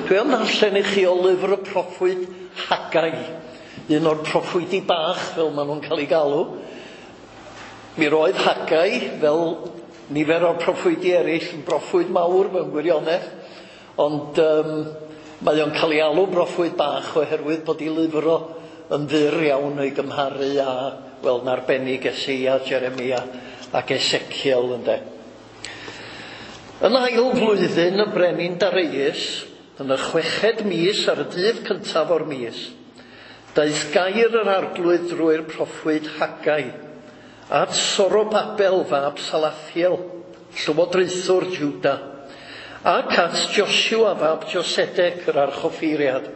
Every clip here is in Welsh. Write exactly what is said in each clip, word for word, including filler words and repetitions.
Dwi am ddarllen i chi o lyfr y proffwyd Haggai, un o'r proffwydi bach fel maen nhw'n cael ei galw. Mi roedd Haggai, fel nifer o'r proffwydi eraill, yn broffwyd mawr mewn gwirionedd, ond um, mae o'n cael ei alw broffwyd bach oherwydd bod ei lyfr o yn fyr iawn o'i gymharu â, wel, yn arbennig Eseia, Jeremia ac Ezekiel, ynde. Yn ail flwyddyn y brenin Darius, yn y chweched mis ar y dydd cyntaf o'r mis, daeth gair yr arglwydd drwy'r proffwyd Haggai at Sorobabel fab Salathiel, llywodraethwr Juda, ac at Joshua fab Josedec yr archoffeiriad.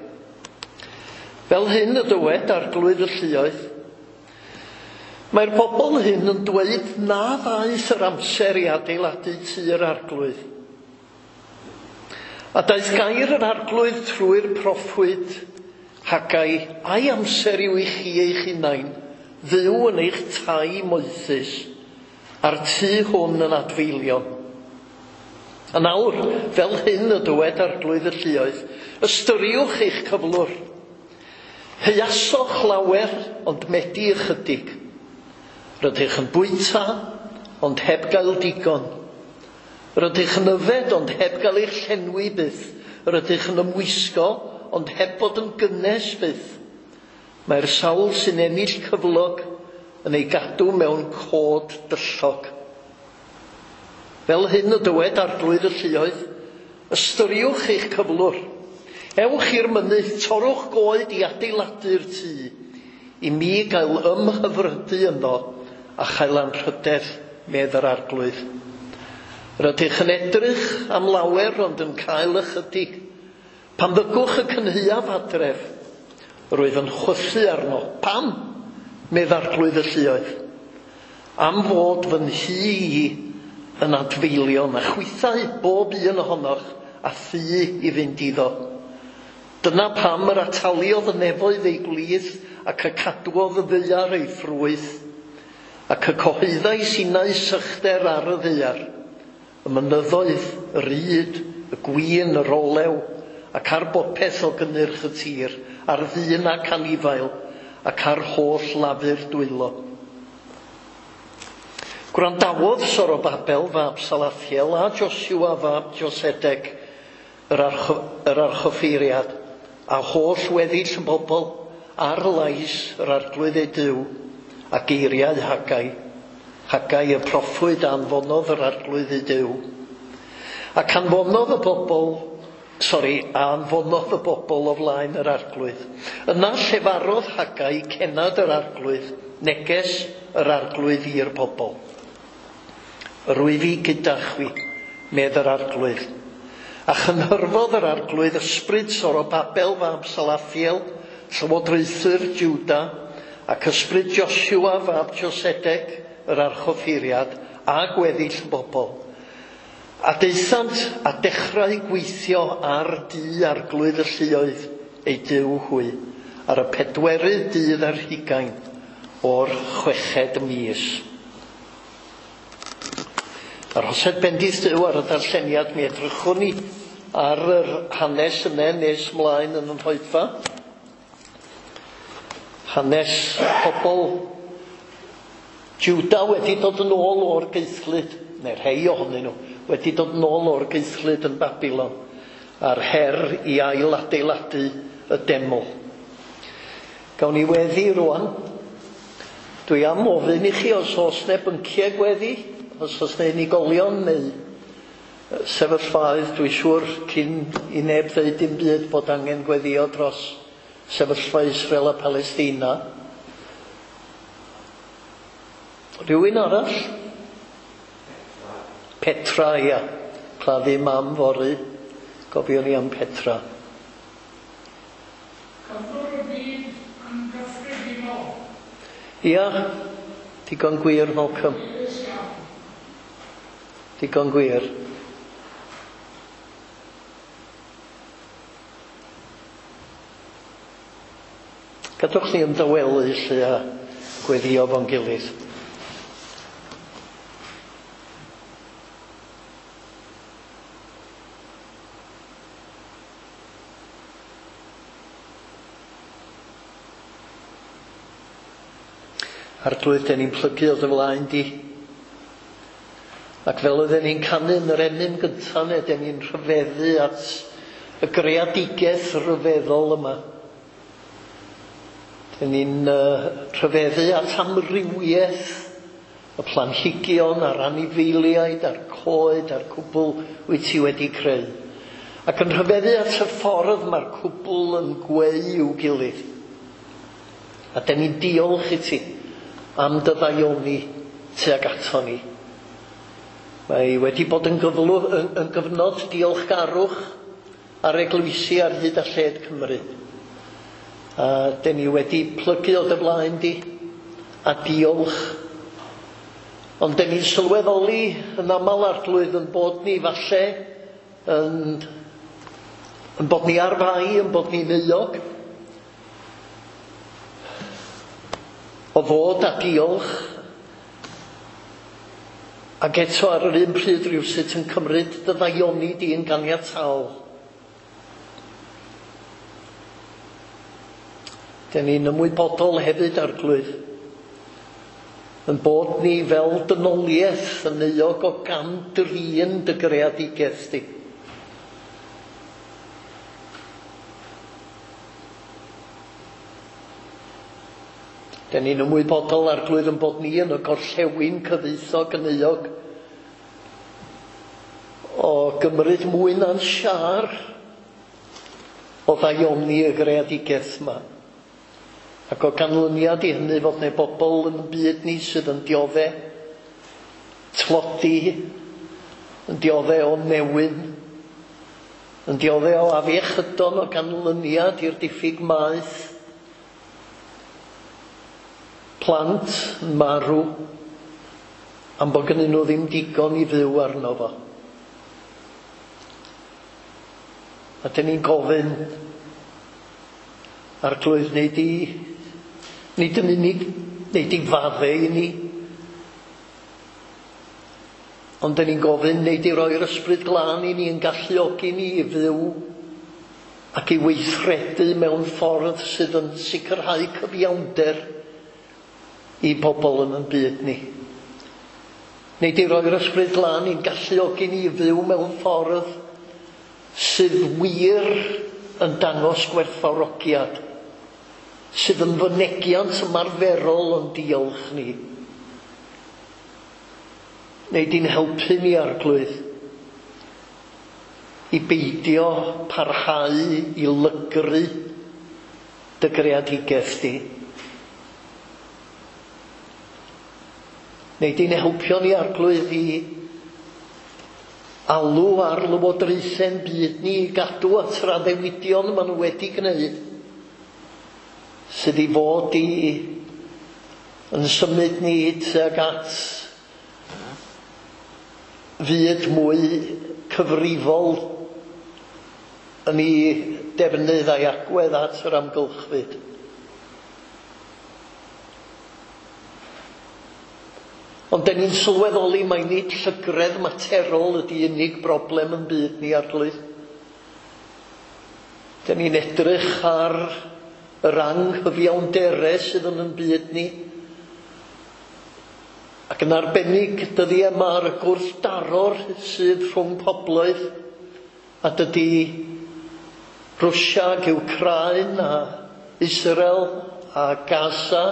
Fel hyn y dywed arglwydd y lluoedd, mae'r bobl hyn yn dweud na ddaeth yr amser i adeiladu tŷ'r arglwydd. A daeth gair yr arglwydd trwy'r proffwyd Haggai, ai amser yw i chi eich hunain, fyw yn eich tai moethus, a'r tŷ hwn yn adfeilion. A nawr, fel hyn y dywed arglwydd y lluoedd, ystyriwch eich cyflwr. Heuasoch lawer, ond medi ychydig. Rydych yn bwyta, ond heb gael digon. Rydych yn yfed, ond heb gael eich llenwi byth. Rydych yn ymwisgo, ond heb fod yn gynnes byth. Mae'r sawl sy'n ennill cyflog yn ei gadw mewn cod dyllog. Fel hyn y dywed arglwydd y lluoedd, ystyriwch eich cyflwr. Ewch i'r mynydd, torrwch goed i adeiladu'r tŷ, i mi gael ymhyfrydu yno a chael anrhydedd, medd yr arglwydd. Rydych yn edrych am lawer, ond yn cael ychydig. Pan ddygwch y cynhaeaf adref, roedd yn chwythu arno. Pam? Medd arglwydd y lluoedd. Am fod fy nhŷ i yn adfeilion, a chwithau bob un ohonoch a thŷ i fynd iddo. Dyna pam yr ataliodd y nefoedd ei gwlith ac y cadwodd y ddaear ei ffrwyth, ac y cyhoeddai sinau sychder ar y ddaear, y mynyddoedd, yr ŷd, y gwin, yr olew, ac ar bopeth o gynnyrch y tir, ar ddyn ac anifail, ac ar holl lafur dwylo. Gwrandawodd Sorobabel fab Salathiel a Joshua fab Josedec, yr, archo, yr archoffeiriad, a holl weddill y bobl ar lais yr arglwydd eu Duw, a geiriau Haggai. Haggai y proffwyd a anfonodd yr arglwydd eu Duw. Ac anfonodd y bobl, sori, a anfonodd y bobl o flaen yr arglwydd. Yna llefarodd Haggai cennad yr arglwydd, neges yr arglwydd i'r bobl. Yr wyf i gyda chwi, medd yr arglwydd. A chynhyrfodd yr arglwydd ysbryd Sorobabel fab Salathiel, llywodraethwr Juda, ac ysbryd Joshua fab Josedec, yr archoffeiriad, a gweddill y bobl. A daethant a dechrau gweithio ar dŷ arglwydd y lluoedd eu Duw hwy, ar y pedwerydd dydd ar hugain o'r chweched mis. Arhosed bendith Duw ar y darlleniad, mi edrychwn ni ar yr hanes yna nes mlaen yn yn hoedfa. Hanes pobl Juda wedi dod yn ôl o'r gaethlyd, neu rhai ohonyn nhw, wedi dod yn ôl o'r gaethlyd yn Babilon, a'r her i ail adeiladu y deml. Gawn ni weddi rwan. Dwi am ofyn i chi os oes 'na bynciau gweddi, os oes 'na unigolion neu sefyllfaoedd, dwi'n siŵr cyn i neb ddeud dim byd bod angen gweddio dros sefyllfa Israel a Palestina. Rhywun arall? Petra, ia. Claddu mam fory. Gofion ni am Petra. Cyflwr y byd yn gyffredinol. Ia, digon gwir, Malcolm. Digon gwir. Gadwch ni ymdawelu lle a gweddio fo'n gilydd. Arglwydd, den ni'n plygu o dy flaen di. Ac fel oedden ni'n canu yn yr emyn gyntaf, ne, den ni'n rhyfeddu at y greadigaeth ryfeddol yma. Den ni'n uh, rhyfeddu at amrywiaeth y planhigion a'r anifeiliaid a'r coed a'r cwbl wyt ti wedi creu. Ac yn rhyfeddu at y ffordd mae'r cwbl yn gweu i'w gilydd. A den ni'n diolch i ti am dy ddaioni tuag ato ni. Mae wedi bod yn, gyflw, yn, yn gyfnod diolchgarwch ar eglwysi ar hyd a lled Cymru. A den ni wedi plygu o dy flaen di a diolch. Ond den ni'n sylweddoli yn aml, Arglwydd, yn bod ni falle yn, yn bod ni ar fai, yn bod ni'n euog o fod a diolch, ac eto ar yr un pryd rhywsut yn cymryd dy ddaioni di yn ganiataol. Den ni'n ymwybodol hefyd, Arglwydd, yn bod ni fel dynoliaeth yn euog o gam-drin dy greadigaeth di. Den ni'n ymwybodol, Arglwydd, yn bod ni yn y gorllewin cyfoethog yn euog o gymryd mwy na'n siâr o ddaioni y greadigaeth yma. Ac o ganlyniad i hynny fod neu bobl yn y byd ni sydd yn diodde tlodi, yn diodde o newyn, yn diodde o afiechydon o ganlyniad i'r diffyg maeth, plant yn marw am bod gynnyn nhw ddim digon i fyw arno fo. A dyn ni'n gofyn, Arglwydd, neu di, nid yn unig, neu di fadde i ni, ond dyn ni'n gofyn, neu di roi'r ysbryd glân i ni yn galluogi ni i fyw ac i weithredu mewn ffordd sydd yn sicrhau cyfiawnder i bobl yn yn byd ni. Neu di roi'r ysbryd glân i'n galluogi ni i fyw mewn ffordd sydd wir yn dangos gwerthfawrogiad, sydd yn fynegiant ymarferol o'n diolch ni. Neu di'n helpu ni, Arglwydd, i beidio parhau i lygru dy greadigaeth di. Neu di'n helpio ni, Arglwydd, i alw ar lywodraethau'n byd ni i gadw at yr addewidion maen nhw wedi gwneud, sydd i fod i yn symud ni tuag at fyd mwy cyfrifol yn ei defnydd a'i agwedd at yr amgylchfyd. Ond den ni'n sylweddoli mai nid llygredd materol ydy unig broblem yn byd ni, Arglwydd. Den ni'n edrych ar yr anghyfiawndere sydd yn yn byd ni, ac yn arbennig dyddiau yma ar y gwrthdaror sydd rhwng pobloedd, a dydy Rwsia ac Wcráin a Israel a Gaza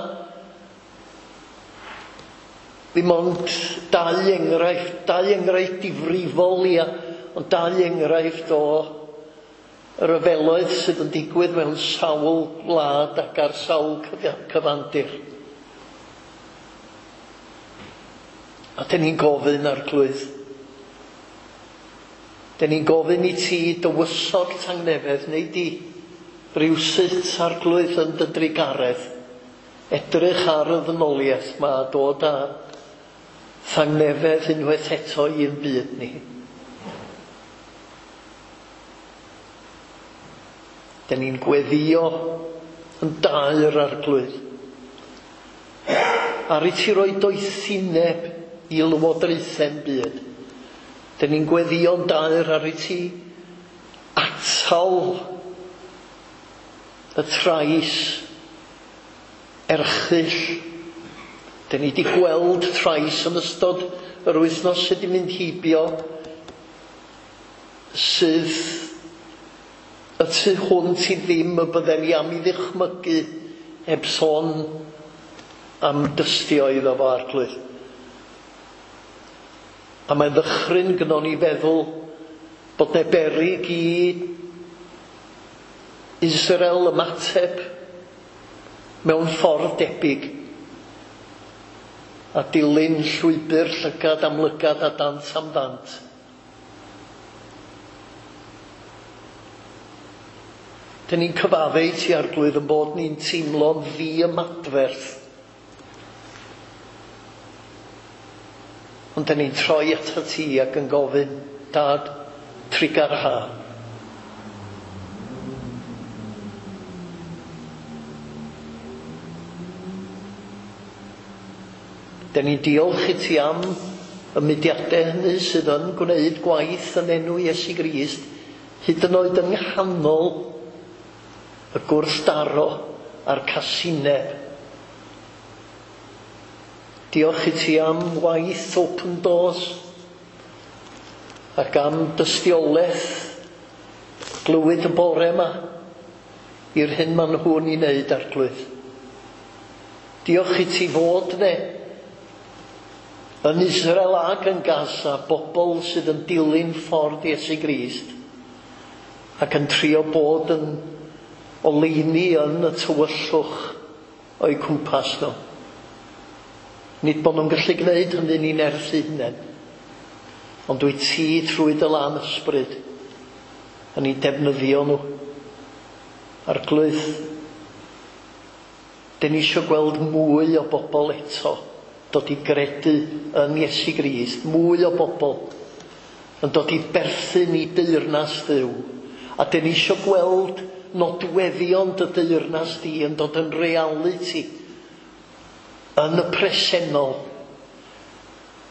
ddim ond dau enghraifft, dau enghraifft difrifol, ia, ond dau enghraifft o ryfeloedd sydd yn digwydd mewn sawl gwlad ac ar sawl cyfandir. A dyn ni'n gofyn, Arglwydd, dyn ni'n gofyn i ti dywysog tangnefedd, neu di rywsut, Arglwydd, yn dy drugaredd, edrych ar y ddynoliaeth ma a dod â thangnefedd unwaith eto i'n byd ni. Dyn ni'n gweddio yn daer, Arglwydd, ar i ti roi doethineb i lywodraethau'n byd. Dyn ni'n gweddio'n daer ar i ti atal y trais erchyll Dyn ni wedi gweld trais yn ystod yr wythnos sydd wedi mynd heibio, sydd y tu hwnt i ddim y bydden ni am ei ddychmygu heb sôn am dystio iddo fo, Arglwydd. A mae'n ddychryn gynnon ni feddwl bod 'na beryg i Israel ymateb mewn ffordd debyg a dilyn llwybr llygad am lygad a dant am ddant. Dyn ni'n cyfadde i ti, Arglwydd, yn bod ni'n teimlo'n ddiymadferth. Ond dyn ni'n troi atat ti ac yn gofyn, Dad, trugarha. Dyn ni'n diolch i ti am y mudiadau hynny sydd yn gwneud gwaith yn enw Iesu Grist, hyd yn oed yng nghanol y gwrthdaro a'r casineb. Diolch i ti am waith Open Doors ac am dystiolaeth glywyd y bore yma i'r hyn maen nhw'n ei wneud, Arglwydd. Diolch i ti fod ne yn Israel ac yn Gaza, bobl sydd yn dilyn ffordd Iesu Grist ac yn trio bod yn oleuni yn y tywyllwch o'u cwmpas nhw. Nid bod nhw'n gallu gwneud hynny'n eu nerth eu hunain, ond dwi ti trwy dy lan ysbryd yn eu defnyddio nhw. Arglwydd, dyn ni eisiau gweld mwy o bobl eto dod i gredu yn Iesu Grist, mwy o bobl yn dod i berthyn i deyrnas Dduw. A dyn ni eisiau gweld nodweddion dy deyrnas di yn dod yn realiti yn y presennol.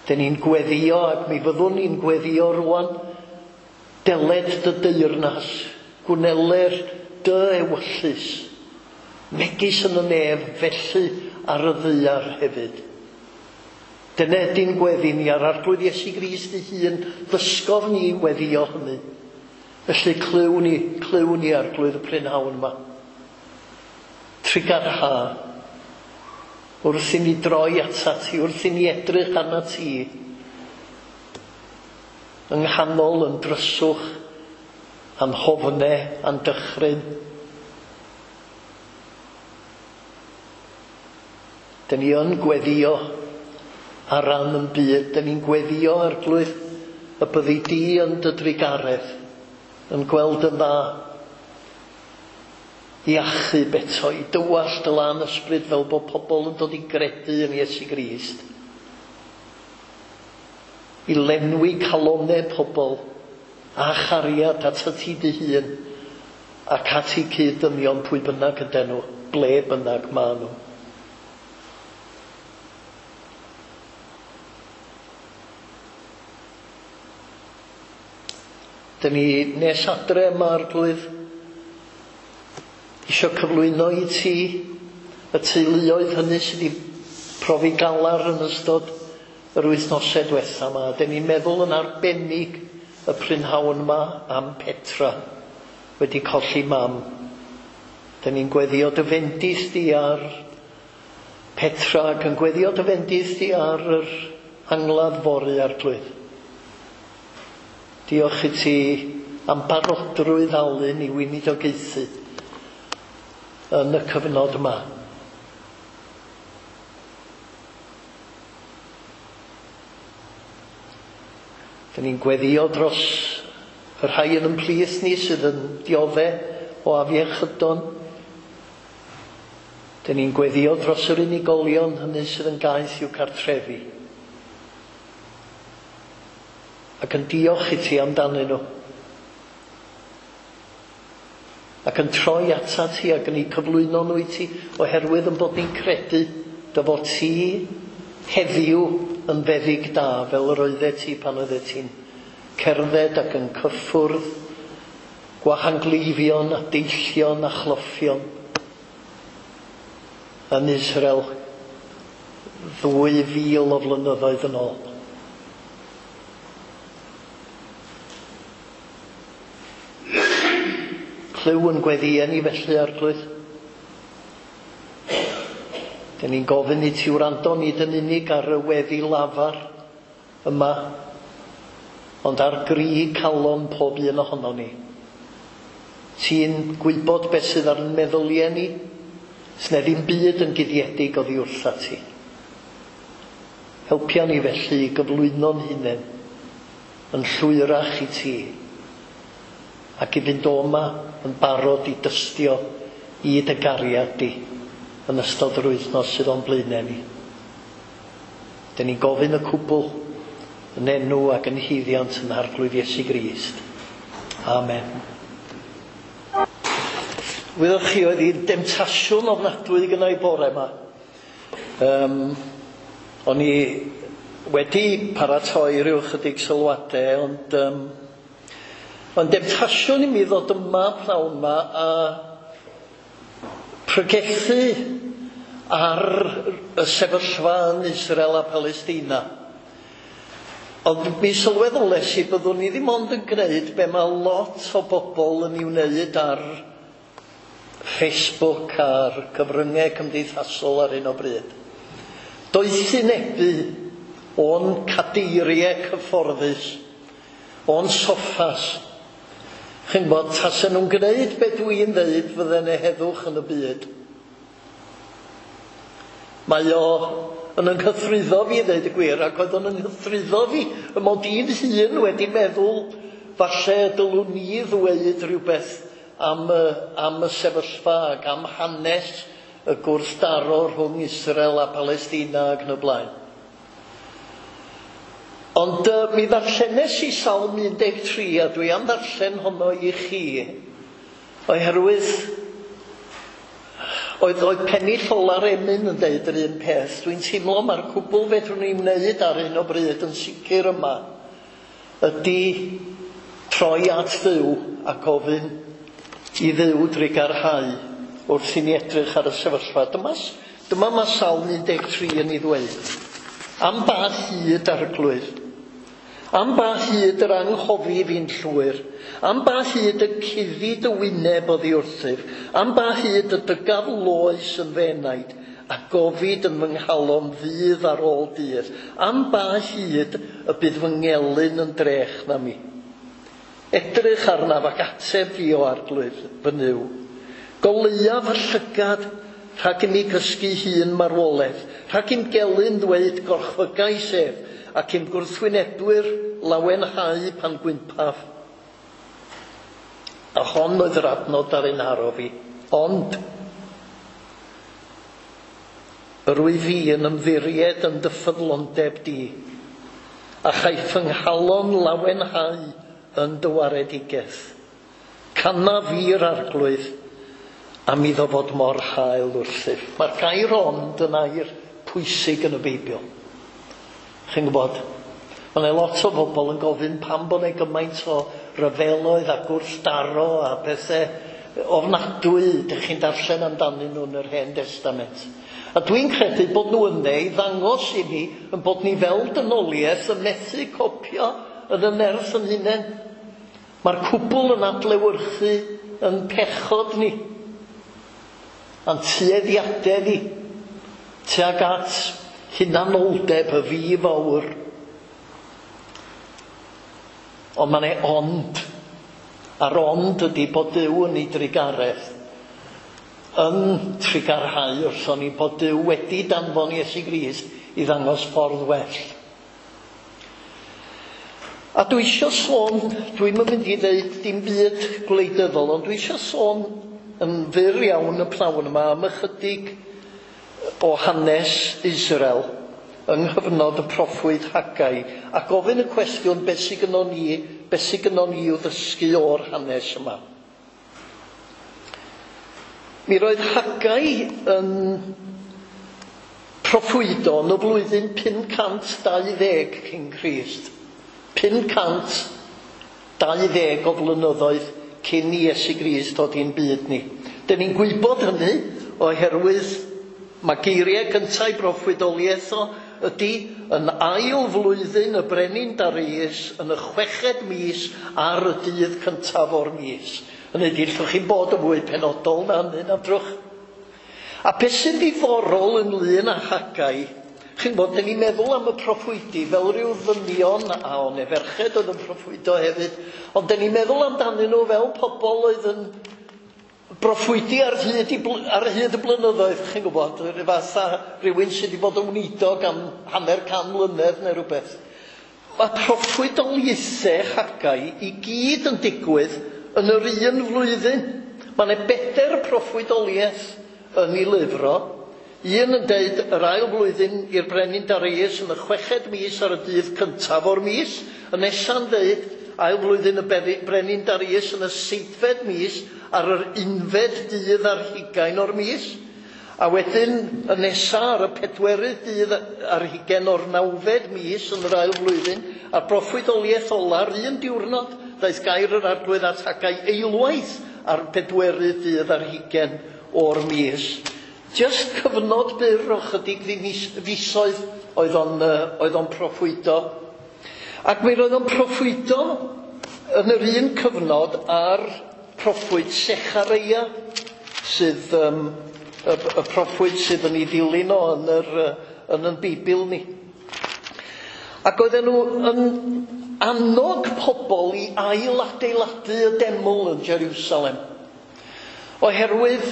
Dyn ni'n gweddio, ac mi fyddwn ni'n gweddio rwan, deled dy deyrnas, gwneler dy ewyllys, megis yn y nef, felly ar y ddaear hefyd. Dyna ydy'n gweddi ni ar Arglwydd Iesu Grist ei hun, ddysgodd ni weddio hynny. Felly clyw ni, clyw ni Arglwydd y prynhawn yma. Trugarha, wrth i ni droi atat ti, wrth i ni edrych arnat ti, yng nghanol yn dryswch, a'n hofne, a'n dychryn. Dyn ni yn gweddio ar ran yn byd, dyn ni'n gweddio, Arglwydd, y byddi di yn dy drugaredd, yn gweld yn dda i achub eto, i dywallt dy lan ysbryd fel bod pobl yn dod i gredu yn Iesu Grist, i lenwi calonnau pobl a chariad atat ti dy hun ac at eu cyd-ddynion pwy bynnag ydyn nhw, ble bynnag maen nhw. Dyn ni nes adre yma, Arglwydd, eisiau cyflwyno i ti y teuluoedd hynny sydd wedi profi galar yn ystod yr wythnosau diwetha yma. Dyn ni'n meddwl yn arbennig y prynhawn yma am Petra, wedi colli mam. Dyn ni'n gweddio dy fendith di ar Petra ac yn gweddio dy fendith di ar yr angladd fory, Arglwydd. Diolch i ti am barodrwydd Alun i weinidogaethu yn y cyfnod yma. Dyn ni'n gweddio dros y rhai yn ein plith ni sydd yn diodde o afiechydon. Dyn ni'n gweddio dros yr unigolion hynny sydd yn gaeth i'w cartrefi. Ac yn diolch i ti amdanyn nhw. Ac yn troi atat ti ac yn eu cyflwyno nhw i ti, oherwydd yn bod ni'n credu dy fod ti heddiw yn feddyg da fel yr oeddet ti pan oeddet ti'n cerdded ac yn cyffwrdd gwahangleifion a deillion a chloffion yn Israel Ddwy fil o flynyddoedd yn ôl. Clyw yn gweddïau ni felly, Arglwydd. Dyn ni'n gofyn i ti wrando nid yn unig ar y weddi lafar yma, ond ar gri calon pob un ohono ni. Ti'n gwybod beth sydd ar ein meddyliau ni, sne ddim byd yn guddiedig oddi wrtha ti. Helpia ni felly i gyflwyno'n hunain yn llwyrach i ti, ac i fynd o yma yn barod i dystio i dy gariad di yn ystod yr wythnos sydd o'n blaenau ni. Dyn ni'n gofyn y cwbl yn enw ac yn haeddiant yn Arglwydd Iesu Grist. Amen. Wyddoch chi, oedd hi'n demtasiwn ofnadwy gynna i bore yma. Um, o'n i wedi paratoi rhyw chydig sylwadau, ond um, ond demtasiwn i mi ddod yma pnawn yma a pregethu ar y sefyllfa yn Israel a Palestina. Ond mi sylweddolais i byddwn ni ddim ond yn gwneud be mae lot o bobl yn ei wneud ar Facebook a'r cyfryngau cymdeithasol ar hyn o bryd. Doethinebu o'n cadeiriau cyfforddus, o'n soffas. Chi'n gwybod, tasen nhw'n gwneud be dwi'n dweud fydden nhw heddwch yn y byd. Mae o yn ynghythruddo fi, dweud y gwir, ac oedd o'n ynghythruddo fi, y mod i'n hun wedi meddwl falle dylwn ni ddweud rhywbeth am y, am y sefyllfa ac am hanes y gwrthdaro rhwng Israel a Palestina ac yn y blaen. Ond uh, mi ddarllenes i Salm un deg tri, a dwi am ddarllen honno i chi, oherwydd oedd, oedd pennill ola'r emyn yn deud yr un peth. Dwi'n teimlo mae'r cwbl fedrwn ni wneud ar hyn o bryd yn sicr yma ydy troi at Dduw a gofyn i Dduw drugarhau wrth i ni edrych ar y sefyllfa. Dyma, dyma mae Salm un deg tri yn ei ddweud. Am ba hyd, Arglwydd? Am ba hyd yr anghofi fi'n llwyr? Am ba hyd y cuddi dy wyneb oddi wrthyf? Am ba hyd y dygaf loes yn fy enaid, a gofid yn fy nghalon ddydd ar ôl dydd? Am ba hyd y bydd fy ngelyn yn drech na mi? Edrych arnaf ac ateb fi o Arglwydd fy Nuw. Goleuaf fy llygad rhag i mi gysgu hun marwolaeth, rhag i'm gelyn ddweud gorchfygais ef, ac i'm gwrthwynebwyr lawenhau pan gwympaf. A hon oedd yr adnod ar ein haro fi. Ond yr wyf fi yn ymddiried yn dy ffyddlondeb di, a chaiff fy nghalon lawenhau yn dy waredigaeth. Canaf fi'r Arglwydd am iddo fod mor hael wrthyf. Mae'r gair ond yn air pwysig yn y Beibl. Chi'n gwybod, mae yna lot o bobl yn gofyn pam bod yna gymaint o ryfeloedd a gwrthdaro a pethau ofnadwy dych chi'n darllen amdanyn nhw yn yr Hen Testament. A dwi'n credu bod nhw yna i ddangos i ni yn bod ni fel dynoliaeth yn methu copio yn y nerth yn hunain. Mae'r cwbl yn adlewyrchu yn pechod ni, a'n tueddiadau ni, tuag at hunanoldeb y fi fawr. Ond mae'n ei ond, a'r ond ydy bod Duw yn ei drugaredd, yn trugarhau wrthon ni bod Duw wedi danfon Iesu Grist i ddangos ffordd well. A dwi eisiau sôn, dwi'm yn mynd i ddeud dim byd gwleidyddol, ond dwi eisiau sôn yn fyr iawn y pnawn yma am ychydig o hanes Israel yng nghyfnod y proffwyd Haggai, a gofyn y cwestiwn beth sydd gynnon ni, beth sydd gynnon ni i'w ddysgu o'r hanes yma. Mi roedd Haggai yn proffwydo yn y flwyddyn pum cant dau ddeg cyn Crist. pum cant dau ddeg o flynyddoedd cyn i Iesu Grist dod i'n byd ni. Dyn ni'n gwybod hynny oherwydd Mae geiriau gyntaf ei broffwydoliaeth o ydy yn ail flwyddyn y brenin Darius yn y chweched mis ar y dydd cyntaf o'r mis. Hynny ydy, allwch chi'n bod yn fwy penodol na hynny, na drwch. A beth sy'n ddiddorol ynglyn â Haggai, chi'n bod, dyn ni'n meddwl am y proffwydi fel rhyw ddynion, a o'n e ferched oedd yn proffwydo hefyd, ond dyn ni'n meddwl amdanyn nhw fel pobl oedd yn broffwydi ar hyd, i, ar hyd y blynyddoedd, chi'n gwybod, rhyw fath â rhywun sydd wedi bod yn weinidog am hanner can mlynedd neu rhywbeth. Mae proffwydoliaethau Haggai i gyd yn digwydd yn yr un flwyddyn. Mae yna bedair proffwydoliaeth yn ei lyfr o. Un yn deud yr ail flwyddyn i'r brenin Darius yn y chweched mis ar y dydd cyntaf o'r mis. Y nesa'n deud ail flwyddyn y brenin Darius yn y seithfed mis ar yr unfed dydd ar hugain o'r mis. A wedyn y nesa ar y pedwerydd dydd ar hugain o'r nawfed mis yn yr ail flwyddyn, a'r proffwydoliaeth ola'r un diwrnod, daeth gair yr Arglwydd at Haggai eilwaith ar pedwerydd dydd ar hugain o'r mis. Just cyfnod byr o chydig fisoedd oedd o'n, oedd o'n proffwydo. Ac mi roedd o'n proffwydo yn yr un cyfnod ar proffwyd Sechareia, sydd um, y, y proffwyd sydd yn ei ddilyn o yn yr, yn yn Beibl ni. Ac oedden nhw yn annog pobl i ailadeiladu y deml yn Jerusalem. Oherwydd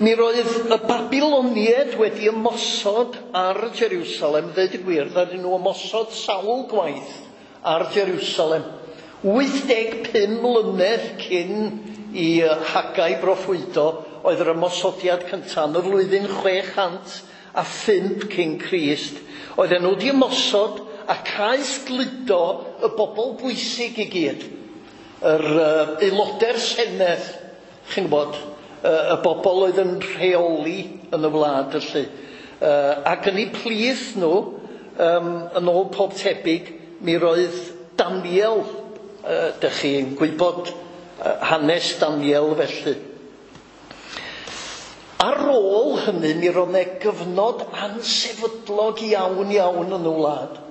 mi roedd y Babiloniaid wedi ymosod ar Jerusalem, ddeud y gwir, ddaru nhw ymosod sawl gwaith ar Jerusalem. wyth deg pum mlynedd cyn i Haggai broffwydo oedd yr ymosodiad cyntaf yn y flwyddyn chwe chant a phump cyn Crist. Oedden nhw wedi ymosod a caethgludo y bobl bwysig i gyd. Yr uh, aelodau'r Senedd, chi'n gwybod, y bobl oedd yn rheoli yn y wlad felly. Uh, ac yn eu plith nhw, um, yn ôl pob tebyg, mi roedd Daniel, uh, dych chi'n gwybod uh, hanes Daniel felly. Ar ôl hynny, mi roedd 'na gyfnod ansefydlog iawn iawn yn y wlad.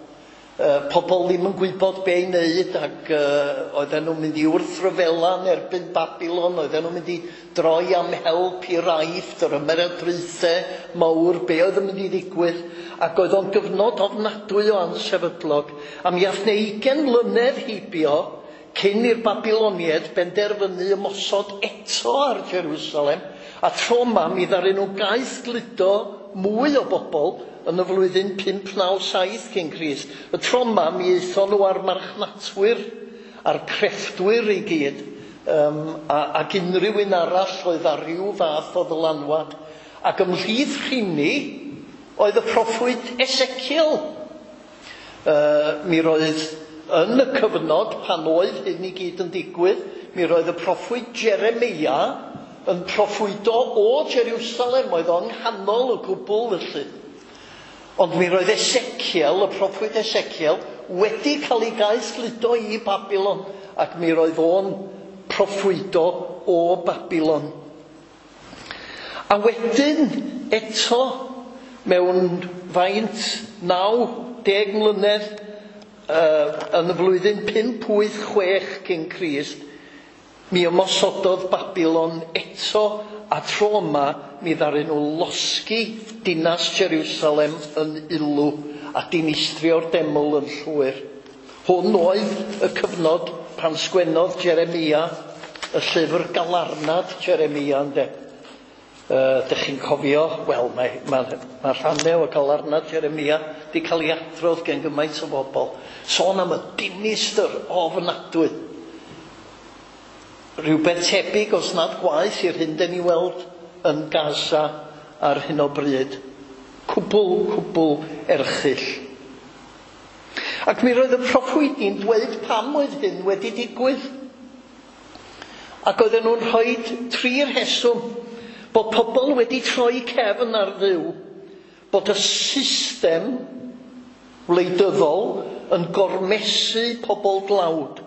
Uh, pobl ddim yn gwybod be i wneud ac uh, oedden nhw'n mynd i wrthryfela yn erbyn Babilon, oedden nhw'n mynd i droi am help i'r Aifft, yr ymerodraethau mawr, be oedd yn mynd i ddigwydd, ac oedd o'n gyfnod ofnadwy o ansefydlog. A mi ath 'na ugain mlynedd heibio cyn i'r Babiloniaid benderfynu ymosod eto ar Jerusalem, a tro 'ma mi ddaru nhw gaethgludo mwy o bobl yn y flwyddyn pump naw saith cyn Crist. Y tro 'ma mi aethon nhw ar marchnatwyr, a'r crefftwyr i gyd, um, a, ac unrhyw un arall oedd ar ryw fath o ddylanwad. Ac ymhlith rheini oedd y proffwyd Ezekiel. Uh, mi roedd yn y cyfnod pan oedd hyn i gyd yn digwydd, mi roedd y proffwyd Jeremia yn proffwydo o Jerusalem, oedd o'n nghanol y gwbl felly. Ond mi roedd Ezekiel, y proffwyd Ezekiel, wedi cael ei gaethgludo i Babilon, ac mi roedd o'n proffwydo o Babilon. A wedyn, eto, mewn faint naw deg mlynedd, uh, yn y flwyddyn pump wyth chwech cyn Crist, mi ymosododd Babilon eto, a tro yma mi ddaru nhw losgi dinas Jerusalem yn ulw a dinistrio'r deml yn llwyr. Hwn oedd y cyfnod pan sgwennodd Jeremia y llyfr Galarnad Jeremia, ynde. Uh, dych chi'n cofio, wel, mae, mae, mae rhannau o Galarnad Jeremia wedi cael ei adrodd gen gymaint o bobl. Sôn am y dinistr ofnadwy. Rhywbeth tebyg, os nad gwaeth, i'r hyn den ni weld yn Gaza ar hyn o bryd. Cwbl, cwbl erchyll. Ac mi roedd y proffwydi'n dweud pam oedd hyn wedi digwydd. Ac oedden nhw'n rhoi tri rheswm. Bod pobl wedi troi cefn ar Dduw, bod y system wleidyddol yn gormesu pobl dlawd,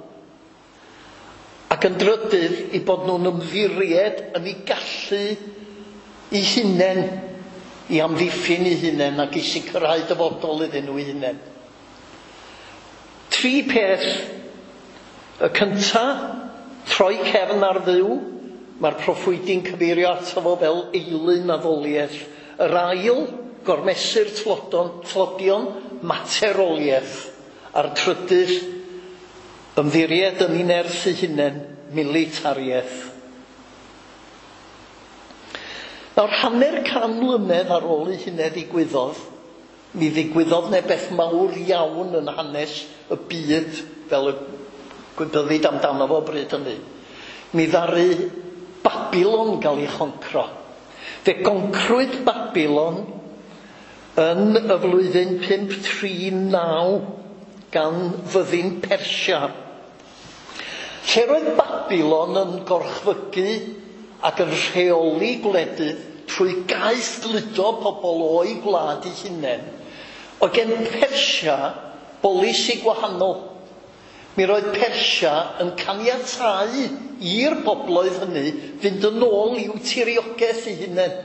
ac yn drydydd i bod nhw'n ymddiried yn eu gallu eu hunain. i amddiffyn eu hunain ac i sicrhau dyfodol iddyn nhw eu hunain. Tri peth. Y cynta, troi cefn ar Dduw. Mae'r proffwydi'n cyfeirio ato fo fel eilun addoliaeth. Yr ail, gormesur tlodon, tlodion, materoliaeth. A'r trydydd, ymddiried yn ei nerth ei hunain, militariaeth. Nawr, hanner can mlynedd ar ôl i hynny ddigwyddodd, mi ddigwyddodd 'ne beth mawr iawn yn hanes y byd, fel y gwybyddid amdano fo bryd hynny. Mi ddaru Babilon gael ei choncro. Fe goncrwyd Babilon yn y flwyddyn pump tri naw gan fyddin Persia. Lle roedd Babilon yn gorchfygu ac yn rheoli gwledydd trwy gaethgludo pobl o'i gwlad eu hunain, oedd gen Persia bolisi gwahanol. Mi roedd Persia yn caniatáu i'r bobloedd hynny fynd yn ôl i'w tiriogaeth eu hunain.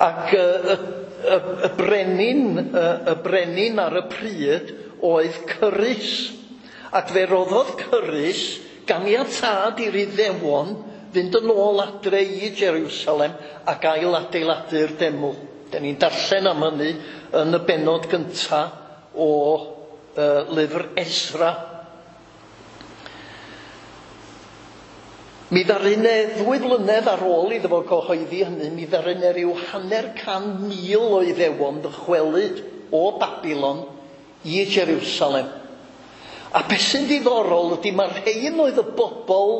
Ac y, y, y, y, brenin, y, y brenin ar y pryd oedd Cyrus. Ac fe roddodd Cyrus ganiatâd i'r Iddewon fynd yn ôl adre i Jerusalem ac ail adeiladu'r deml. Dan ni'n darllen am hynny yn y bennod gynta o uh, lyfr Esra. Mi ddaru 'ne ddwy flynedd ar ôl iddo fo gyhoeddi hynny, mi ddaru 'ne ryw hanner can mil o Iddewon ddychwelyd o Babilon i Jerusalem. A beth sy'n ddiddorol ydy mae'r rhein oedd y bobl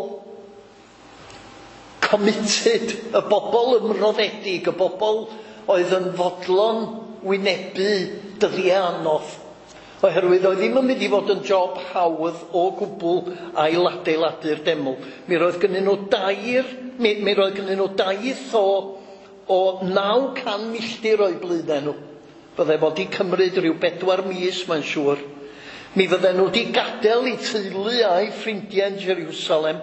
committed, y bobl ymroddedig, y bobl oedd yn fodlon wynebu dyddiau anodd. Oherwydd oedd ddim yn mynd i fod yn job hawdd o gwbl ailadeiladu'r deml. Mi roedd gynnyn nhw dair, mi, mi roedd gynnyn nhw daith o, o naw can milltir o'u blaenau nhw. Fydde fod i cymryd rhyw bedwar mis, mae'n siŵr. Mi fydden nhw wedi gadael eu teulu a'u ffrindiau yn Jerusalem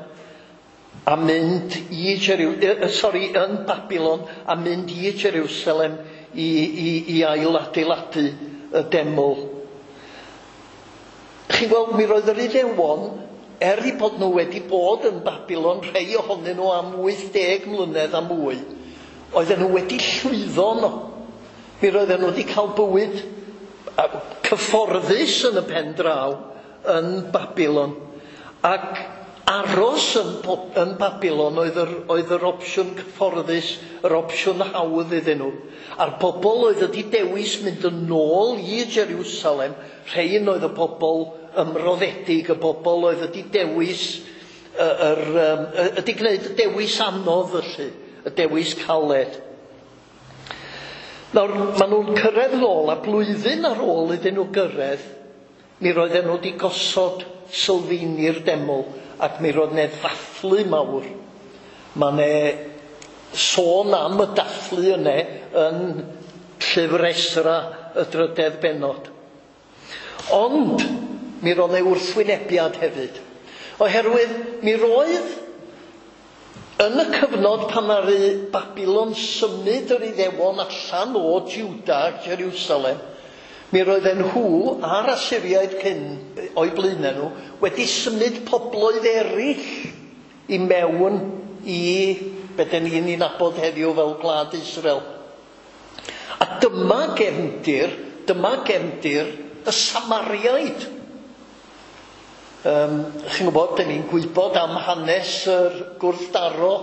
a mynd i Jeru, uh, sorry, yn Babilon a mynd i Jerusalem i, i, i ailadeiladu y deml. Chi'n gweld, mi roedd yr Iddewon, er eu bod nhw wedi bod yn Babilon, rhai ohonyn nhw am wyth deg mlynedd a mwy, oedden nhw wedi llwyddo yno. Mi roedden nhw wedi cael bywyd cyfforddus yn y pen draw yn Babilon. Ac aros yn, yn Babilon oedd yr, oedd yr opsiwn cyfforddus, yr opsiwn hawdd iddyn nhw. A'r bobl oedd wedi dewis mynd yn ôl i Jerusalem, rhein oedd y bobl ymroddedig, y bobl oedd wedi dewis, yr, yr, wedi gwneud y dewis anodd felly, y dewis caled. Nawr, maen nhw'n cyrraedd nôl, a blwyddyn ar ôl iddyn nhw gyrraedd, mi roedden nhw wedi gosod sylfaeni'r deml, ac mi roedd 'ne ddathlu mawr. Mae 'ne sôn am y dathlu yne yn llyfr Esra y drydedd bennod. Ond mi roedd 'ne wrthwynebiad hefyd. Oherwydd mi roedd yn y cyfnod pan ddaru Babilon symud yr Iddewon allan o Juda ac Jerusalem, mi roedden nhw a'r Asyriaid cyn o'u blaenau nhw wedi symud pobloedd eraill i mewn i be dan ni'n ei nabod heddiw fel gwlad Israel. A dyma gefndir, dyma gefndir y Samariaid. Um, chi'n gwybod, dan ni'n gwybod am hanes yr gwrthdaro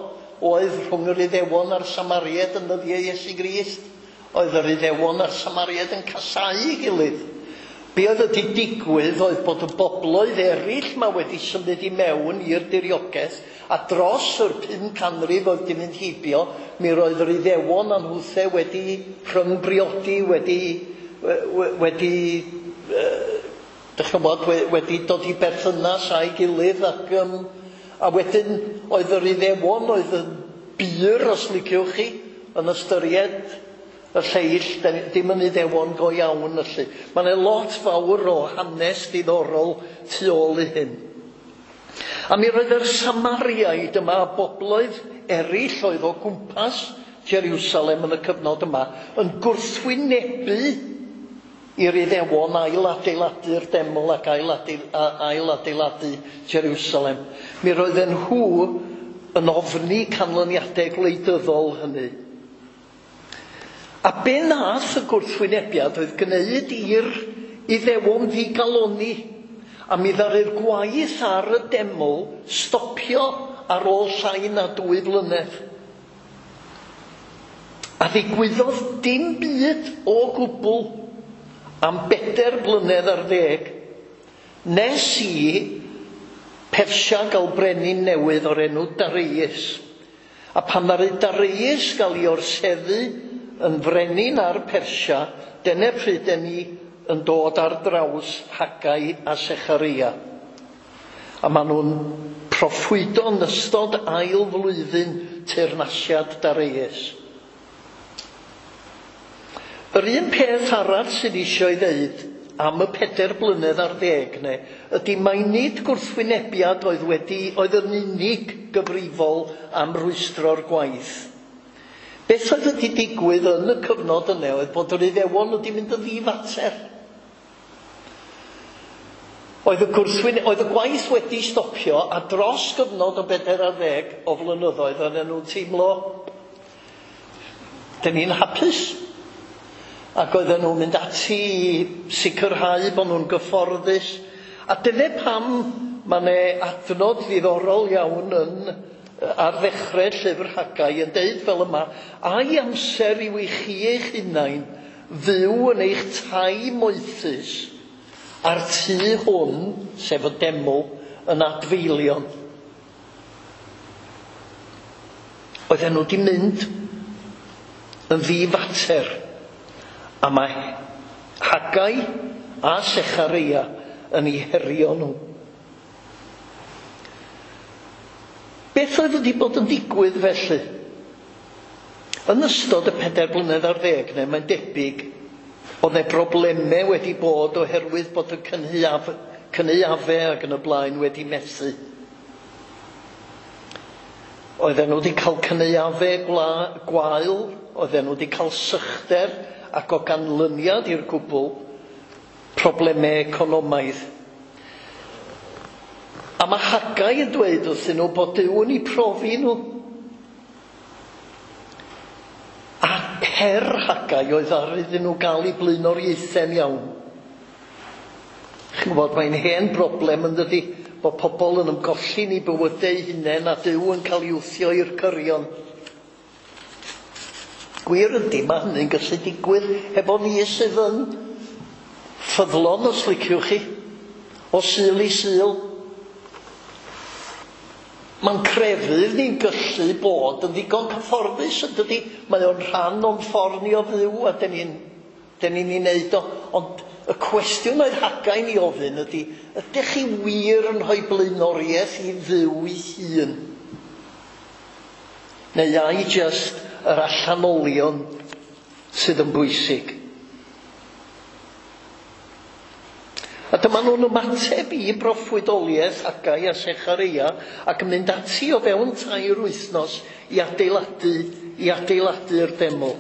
oedd rhwng yr Iddewon a'r Samariaid yn nyddiau Iesu Grist. Oedd yr Iddewon a'r Samariaid yn casáu ei gilydd. Be oedd wedi digwydd oedd bod y bobloedd eraill ma wedi symud i mewn i'r diriogaeth, a dros yr pum canrif oedd wedi mynd heibio, mi roedd yr Iddewon a nhwthe wedi rhyngbriodi, wedi, wedi dych chi'n gwybod, wedi dod i berthynas â'i gilydd, ac, um, a wedyn oedd yr Iddewon oedd yn bur, os liciwch chi, yn ystyried y lleill, dim yn Iddewon go iawn felly. Mae yna lot fawr o hanes diddorol tu ôl i hyn. A mi roedd yr Samariaid yma, a bobloedd eraill oedd o gwmpas Jerusalem yn y cyfnod yma yn gwrthwynebu i'r Iddewon ail-adeiladu'r deml ac ail-adeiladu Jerusalem. Mi roedden nhw yn ofni canlyniadau gwleidyddol hynny. A be nath y gwrthwynebiad oedd gwneud i'r Iddewon ddigaloni, a mi ddaru'r gwaith ar y deml stopio ar ôl llai na dwy flynedd. A ddigwyddodd dim byd o gwbl am bedair blynedd ar ddeg, nes i Persia gael brenin newydd o'r enw Darius. A pan ddaru Darius gael ei orseddu yn frenin ar Persia, dyna pryd den ni yn dod ar draws Haggai a Sechareia. A maen nhw'n proffwydo yn ystod ail flwyddyn teyrnasiad Darius. Yr un peth arall sydd eisiau ei ddeud am y pedair blynedd ar ddeg ne, ydy mai nid gwrthwynebiad oedd wedi oedd yn unig gyfrifol am rwystro'r gwaith. Beth oedd wedi digwydd yn y cyfnod yna oedd bod yr Iddewon wedi mynd yn ddifater. Oedd y, gwrthwyne, oedd y gwaith wedi stopio a dros gyfnod o bedair ar ddeg o flynyddoedd oedden nhw'n teimlo, dyn ni'n hapus. Ac oedden nhw'n mynd ati i sicrhau bod nhw'n gyfforddus. A dyna pam mae 'na adnod ddiddorol iawn yn ar ddechrau llyfr Haggai yn deud fel yma, ai amser yw i chi eich hunain fyw yn eich tai moethus a'r tŷ hwn, sef y deml, yn adfeilion. Oedden nhw wedi mynd yn ddifater. A mae Haggai a Sechareia yn eu herio nhw. Beth oedd wedi bod yn digwydd felly? Yn ystod y pedair blynedd ar ddeg, neu mae'n debyg, oedd 'na broblemau wedi bod oherwydd bod y cynhaeaf, cynaeafau ac yn y blaen wedi methu. Oedden nhw wedi cael cynaeafau gwael, oedden nhw wedi cael sychder, ac o ganlyniad i'r cwbl, problemau economaidd. A mae Haggai yn dweud wrthyn nhw bod Duw yn eu profi nhw. A her Haggai oedd ar iddyn nhw gael eu blaenoriaethau'n iawn. Chi'n gwybod, mae'n hen broblem yn dydi, bod pobl yn ymgolli'n eu bywydau eu hunain a Duw yn cael ei wthio i'r cyrion. Gwir ydy, mae hynny'n gallu digwydd hefo ni sydd yn ffyddlon, os liciwch chi, o Sul i Sul. Mae'n crefydd ni'n gallu bod yn ddigon cyfforddus, yn dydi? Mae o'n rhan o'n ffordd ni o fyw a dyn ni'n dyn ni'n ei wneud o. Ond y cwestiwn oedd Haggai'n ei ofyn ydy, ydych chi wir yn rhoi blaenoriaeth i Dduw ei hun? Neu ai jyst yr allanolion sydd yn bwysig? A dyma nhw'n ymateb i broffwydoliaeth Haggai a Sechareia ac yn mynd ati o fewn tair wythnos i adeiladu, i adeiladu'r deml.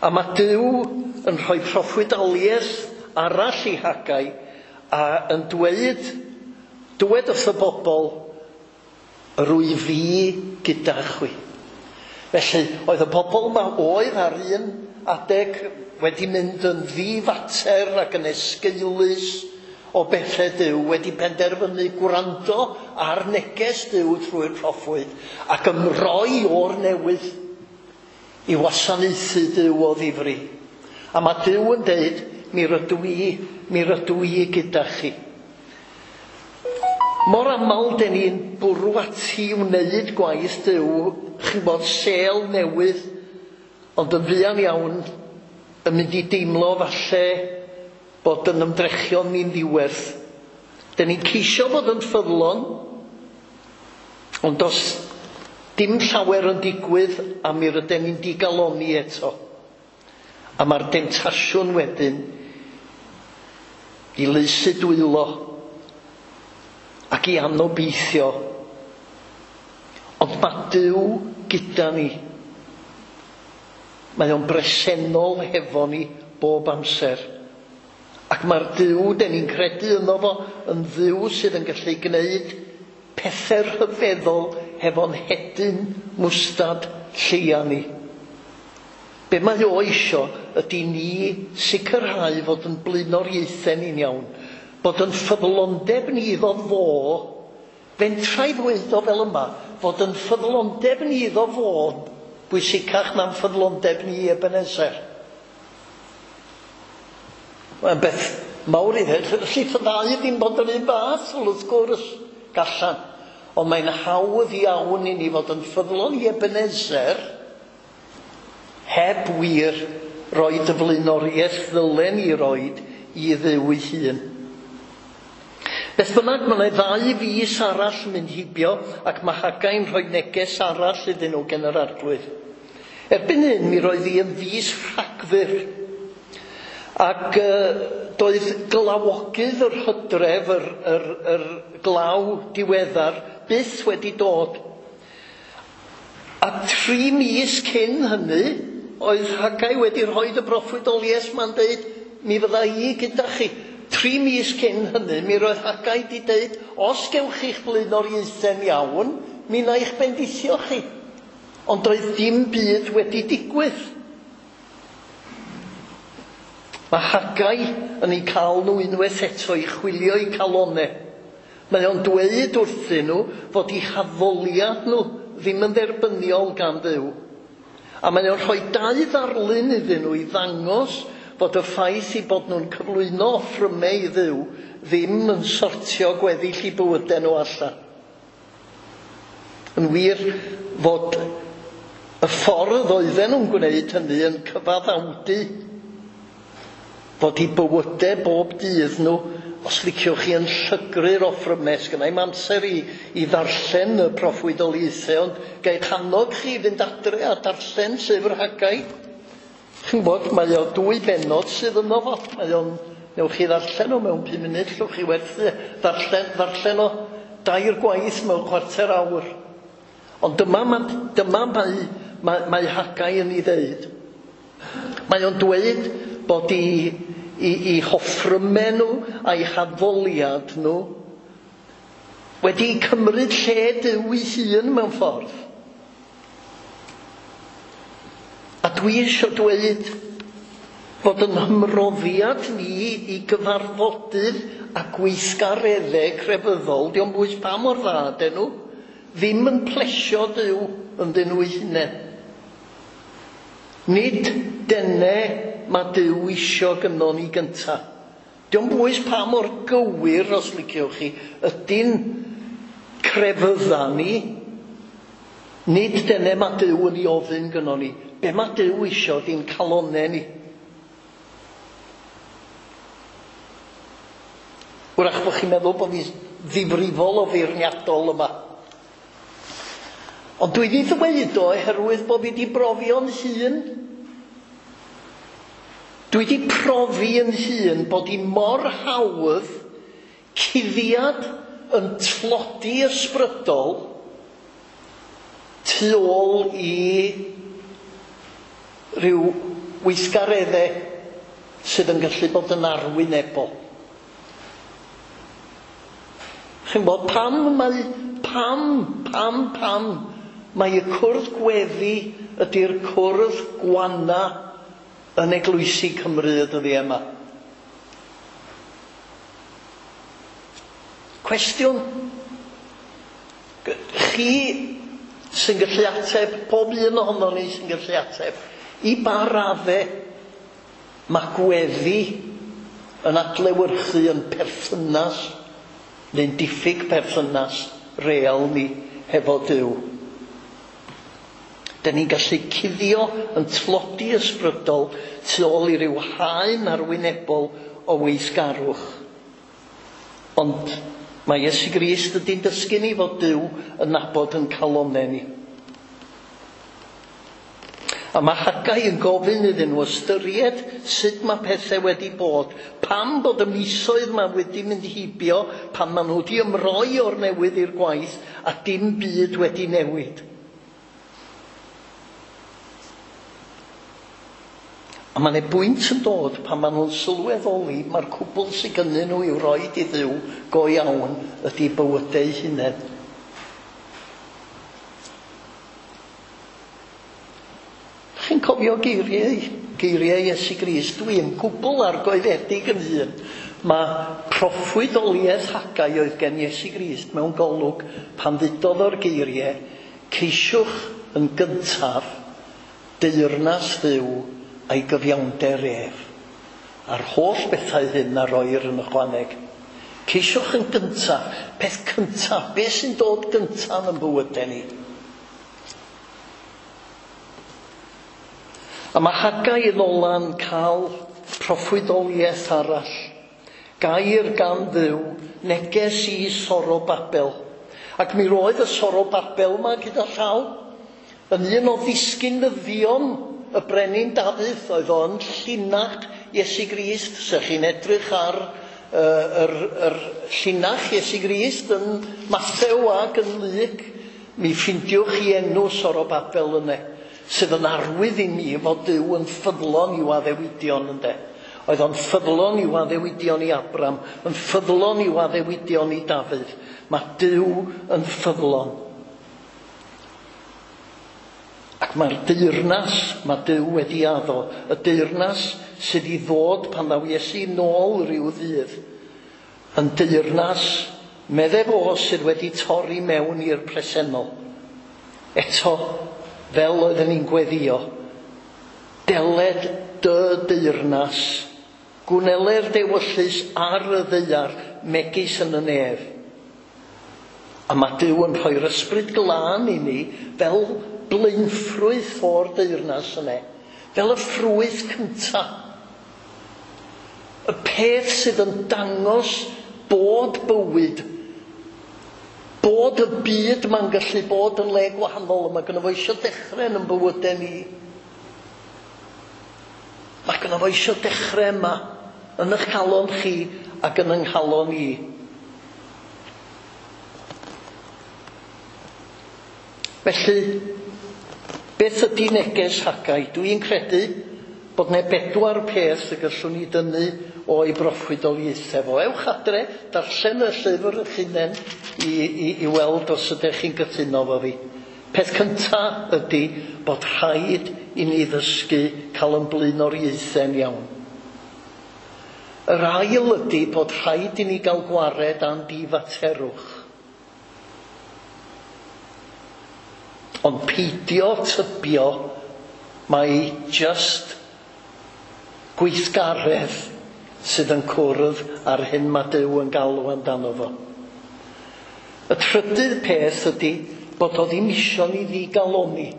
A mae Duw yn rhoi proffwydoliaeth arall i Haggai a yn dweud, dywed wrth y bobl, rwy fi gyda chwi. Felly, oedd y bobl yma oedd ar un adeg wedi mynd yn ddifater ac yn esgeulus o bethau Duw, wedi penderfynu gwrando ar neges Duw trwy'r proffwyd ac ymroi o'r newydd i wasanaethu Duw o ddifri. A mae Duw yn deud, mi rydw i, mi rydw i gyda chi. Mor aml den ni'n bwrw ati i wneud gwaith Duw, chi'n bod sêl newydd, ond yn fuan iawn yn mynd i deimlo falle bod yn ymdrechion ni'n ddiwerth. Den ni'n ceisio bod yn ffyddlon, ond os dim llawer yn digwydd, a mi rydyn ni'n digaloni eto. A mae'r demtasiwn wedyn i lysu dwylo ac i anobeithio. Ond mae Duw gyda ni. Mae o'n bresennol hefo ni bob amser. Ac mae'r Duw den ni'n credu ynddo fo yn Dduw sydd yn gallu gwneud pethau rhyfeddol hefo'n hedyn mwstad lleia ni. Be mae o isio ydy ni sicrhau fod yn blaenoriaethau ni'n iawn, bod yn ffyddlondeb ni iddo fo, fentra i ddweud o fel yma, fod yn ffyddlondeb ni iddo fo bwysicach na'n ffyddlondeb ni i Ebenezer. Mae'n beth mawr i ddweud, ellith y ddau ddim bod yr un fath, wrth gwrs, gallan. Ond mae'n hawdd iawn i ni fod yn ffyddlon i Ebenezer heb wir roed y flaenoriaeth ddylen i roed i Dduw ei hun. Beth bynnag, mae yna ddau fis arall yn mynd heibio ac mae Hagai'n rhoi neges arall iddyn nhw gen yr Arglwydd. Erbyn hyn, mi roedd hi yn fis Rhagfyr. Ac uh, doedd glawogydd yr hydref, yr, yr, yr glaw diweddar, byth wedi dod. A tri mis cyn hynny, oedd Hagai wedi rhoi y broffwydoliaeth ma'n deud, mi fydda i gyda chi. Tri mis cyn hynny, mi roedd Hagai wedi deud, os gewch chi'ch blaenoriaethau'n iawn, mi wna i'ch bendithio chi. Ond doedd dim byd wedi digwydd. Mae Hagai yn eu cael nhw unwaith eto i chwilio eu calonau. Mae o'n dweud wrthyn nhw fod eu haddoliad nhw ddim yn dderbyniol gan Dduw. A mae o'n rhoi dau ddarlun iddyn nhw i ddangos fod y ffaith i bod nhw'n cyflwyno offrymau i Dduw ddim yn sortio gweddill i bywydau nhw allan. Yn wir fod y ffordd oedden nhw'n gwneud hynny yn cyfaddawdu fod i bywydau bob dydd nhw, os liciwch chi, yn llygru'r offrymau. Sgynna i'm amser i, i ddarllen y proffwydoliaethau, ond ga' annog chi fynd adre a darllen llyfr Hagai. Chi'n gwybod, mae o dwy bennod sydd yno fo. Mae o'n, newch chi ddarllen o mewn pum munud, llwch chi werthu ddarllen, ddarllen o dair gwaith mewn chwarter awr. Ond dyma, dyma mae, mae, mae Hagai yn ei ddeud. Mae o'n dweud bod i, i, i hoffrymau nhw a'i haddoliad nhw wedi cymryd lle Duw ei hun mewn ffordd. A dwi eisiau dweud fod yn hymroddiad ni i gyfarfodydd a gweithgareddau crefyddol, dio'm bwys pa mor dda ydyn nhw, ddim yn plesio Duw ynddyn nhw eu hunain. Nid dene mae Duw isio gynnon ni gynta. Dio'm bwys pa mor gywir, os liciwch chi, ydy'n crefydda ni. Nid dene mae Duw yn ei ofyn gynnon ni. Be mae Duw isio ydy'n calonau ni. Wrach bod chi'n meddwl bod fi ddifrifol o feirniadol yma. Ond dwi wedi ddweud o oherwydd bod fi wedi brofio'n hun. Dwi wedi profi yn hun bod hi mor hawdd cuddiad yn tlodi ysbrydol tu ôl i ryw weithgareddau sydd yn gallu bod yn arwynebol. Chi'n gwybod pam mae, pam, pam, pam mae y cwrdd gweddi ydy'r cwrdd gwana yn eglwysi Cymru y dyddiau yma? Cwestiwn. Chi sy'n gallu ateb, pob un ohonon ni sy'n gallu ateb, i ba raddau mae gweddi yn adlewyrchu yn perthynas neu'n diffyg perthynas real ni hefo Duw. Dyn ni'n gallu cuddio yn tlodi ysbrydol tu ôl i ryw haen arwynebol o weithgarwch. Ond mae Iesu Grist ydy'n dysgu ni fod Duw yn nabod yn calonau ni. A mae Hagai yn gofyn iddyn nhw ystyried sut mae pethau wedi bod. Pam bod y misoedd ma wedi mynd heibio, pan maen nhw wedi ymroi o'r newydd i'r gwaith a dim byd wedi newid. A mae 'na bwynt yn dod pan maen nhw'n sylweddoli mae'r cwbl sydd gynnyn nhw i'w roed i Dduw go iawn ydy bywydau eu hunain. Chi'n cofio geiriau, geiriau Iesu Grist? Dwi'n gwbl argoeddedig yn hun. Mae proffwydoliaeth Haggai oedd gen Iesu Grist mewn golwg pan ddudodd o'r geiriau, ceisiwch yn gyntaf deyrnas Dduw a'i gyfiawnder ef, a'r holl bethau hyn a roir yn ychwaneg. Ceisiwch yn gyntaf, peth cyntaf, beth sy'n dod gyntaf yn bywydau ni? A mae Haggai yn ola'n cael proffwydoliaeth arall. Gair gan Dduw, neges i Sorobabel. Ac mi roedd y Sorobabel yma gyda llaw yn un o ddisgynyddion y brenin Dafydd, oedd o'n llinach Iesu Grist. Se chi'n edrych ar uh, yr, yr llinach Iesu Grist yn Mathew ac yn Luc, mi ffindiwch chi enw Sorobabel yna, sydd yn arwydd i ni fod Duw yn ffyddlon i'w addewidion, ynde. Oedd o'n ffyddlon i'w addewidion i Abram, yn ffyddlon i'w addewidion i Dafydd. Mae Duw yn ffyddlon. Ac mae'r deyrnas, mae Duw wedi addo, y deyrnas sydd i ddod pan ddaw Iesu nôl rhyw ddydd, yn deyrnas, medde fo, sydd wedi torri mewn i'r presennol. Eto, fel oedden ni'n gweddio, deled dy deyrnas, gwneler dewyllys ar y ddaear, megis yn y nef. A mae Duw yn rhoi'r ysbryd glân i ni fel blaenffrwyth o'r deyrnas yna, fel y ffrwyth cyntaf. Y peth sydd yn dangos bod bywyd, bod y byd ma'n gallu bod yn le gwahanol, a mae gynno fo eisiau dechrau yn yn bywydau ni. Mae gynno fo eisiau dechrau yma, yn eich calon chi ac yn yng nghalon i. Felly, beth ydy neges Haggai? Dwi'n credu bod 'na bedwar peth y gallwn ni dynnu o'i broffwydoliaethau fo. Ewch adre, darllen y llyfr eich hunain i, i, i weld os ydych chi'n gytuno fo fi. Peth cyntaf ydy bod rhaid i ni ddysgu cael yn blaenoriaethau'n iawn. Yr ail ydy bod rhaid i ni gael gwared a'n difaterwch. Ond peidio tybio mai just gweithgaredd sydd yn cwrdd ar hyn mae Duw yn galw amdano fo. Y trydydd peth ydy bod o ddim isio ni ddigaloni.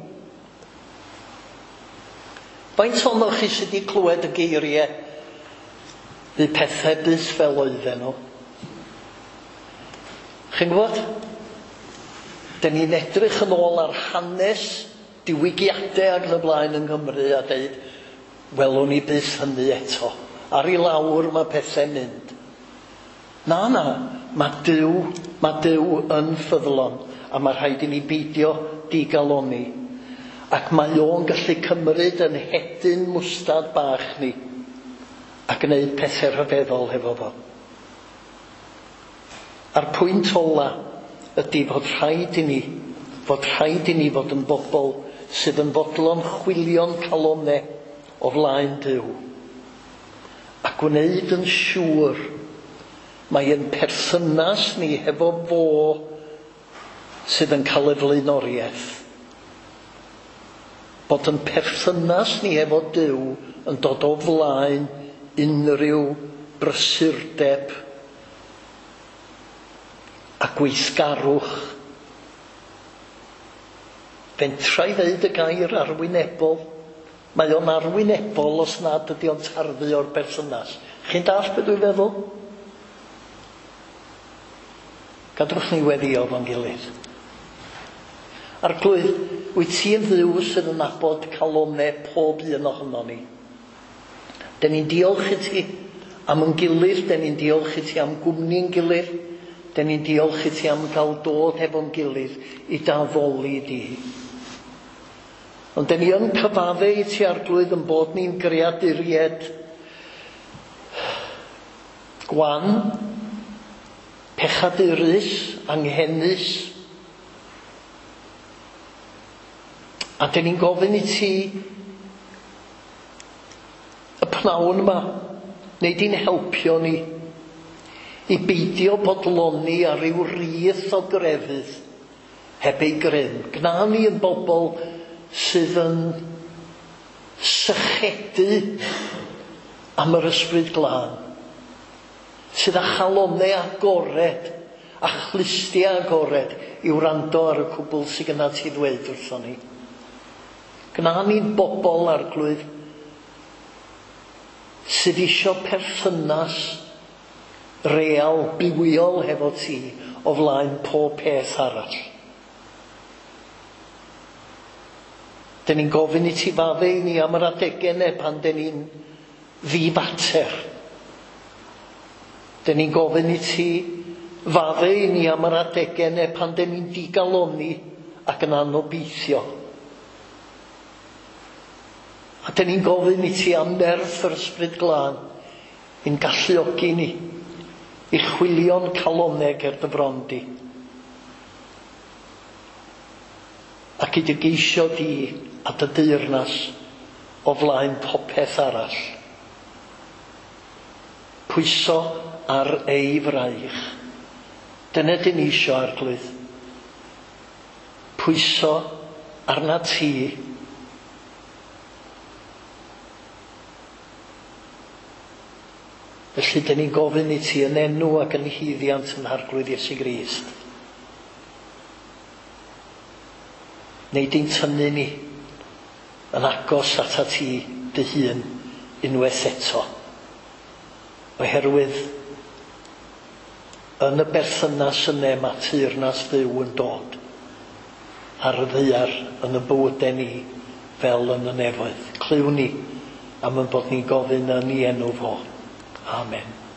Faint ohonoch chi sydd wedi clywed y geiriau fydd pethau byth fel oedden nhw? Chi'n gwybod? Dyn ni'n edrych yn ôl ar hanes diwygiadau ac yn y blaen yng Nghymru a dweud, welwn ni byth hynny eto. Ar i lawr mae pethau'n mynd. Na, na, mae Duw, mae Duw yn ffyddlon a mae rhaid i ni beidio digaloni. Ac mae o'n gallu cymryd yn hedyn mwstad bach ni a gwneud pethau rhyfeddol hefo fo. A'r pwynt ola ydy fod rhaid i ni, fod rhaid i ni fod yn bobl sydd yn fodlon chwilio'n calonau o flaen Duw. A gwneud yn siŵr mae ein perthynas ni hefo fo sydd yn cael y flaenoriaeth. Bod yn perthynas ni efo Duw yn dod o flaen unrhyw brysurdeb a gweithgarwch. Fentra i ddeud y gair arwynebol. Mae o'n arwynebol os nad ydy o'n tarddu o'r berthynas. Chi'n dallt beth dwi'n feddwl? Gadwch ni weddio fo'n gilydd. Arglwydd, wyt ti'n Dduw sydd yn nabod calonau pob un ohono ni. Den ni'n diolch i ti am yn gilydd, den ni'n diolch i ti am gwmni'n gilydd, den ni'n diolch i ti am gael dod hefo'n gilydd i daddoli di. Ond den ni yn cyfadde i ti, Arglwydd, yn bod ni'n greaduried gwan, pechadurus, anghenus. A den ni'n gofyn i ti y pnawn yma, neu di'n helpio ni i beidio bodloni ar ryw rith o grefydd heb ei grym. Gna ni yn bobl sydd yn sychedu am yr Ysbryd Glân, sydd â chalonnau agored a chlustiau agored i wrando ar y cwbl sydd gyda ti ddweud wrthon ni. Gna ni'n bobl, Arglwydd, sydd isio perthynas real, bywiol hefo ti o flaen pob peth arall. Den ni'n gofyn i ti fadde i ni am yr adegau yna pan den ni'n ddifater. Den ni'n gofyn i ti fadde i ni am yr adegau yna pan den ni'n digalonni ac yn anobeithio. A den ni'n gofyn i ti am nerth yr Ysbryd Glân i'n galluogi ni i chwilio'n calonnau ger dy fron di, ac i dy geisio di a dy deyrnas o flaen popeth arall. Pwyso ar ei fraich. Dyna dyn ni isio, Arglwydd. Pwyso arna ti. Felly dyn ni'n gofyn i ti yn enw ac yn haeddiant yn Arglwydd Iesu Grist. Neu di'n tynnu ni yn agos ata ti dy hun unwaith eto. Oherwydd yn y berthynas yna mae teyrnas Dduw yn dod ar y ddaear yn y bywydau ni fel yn y nefoedd. Clywn ni am ein bod ni'n gofyn yn ei enw fo. Amen.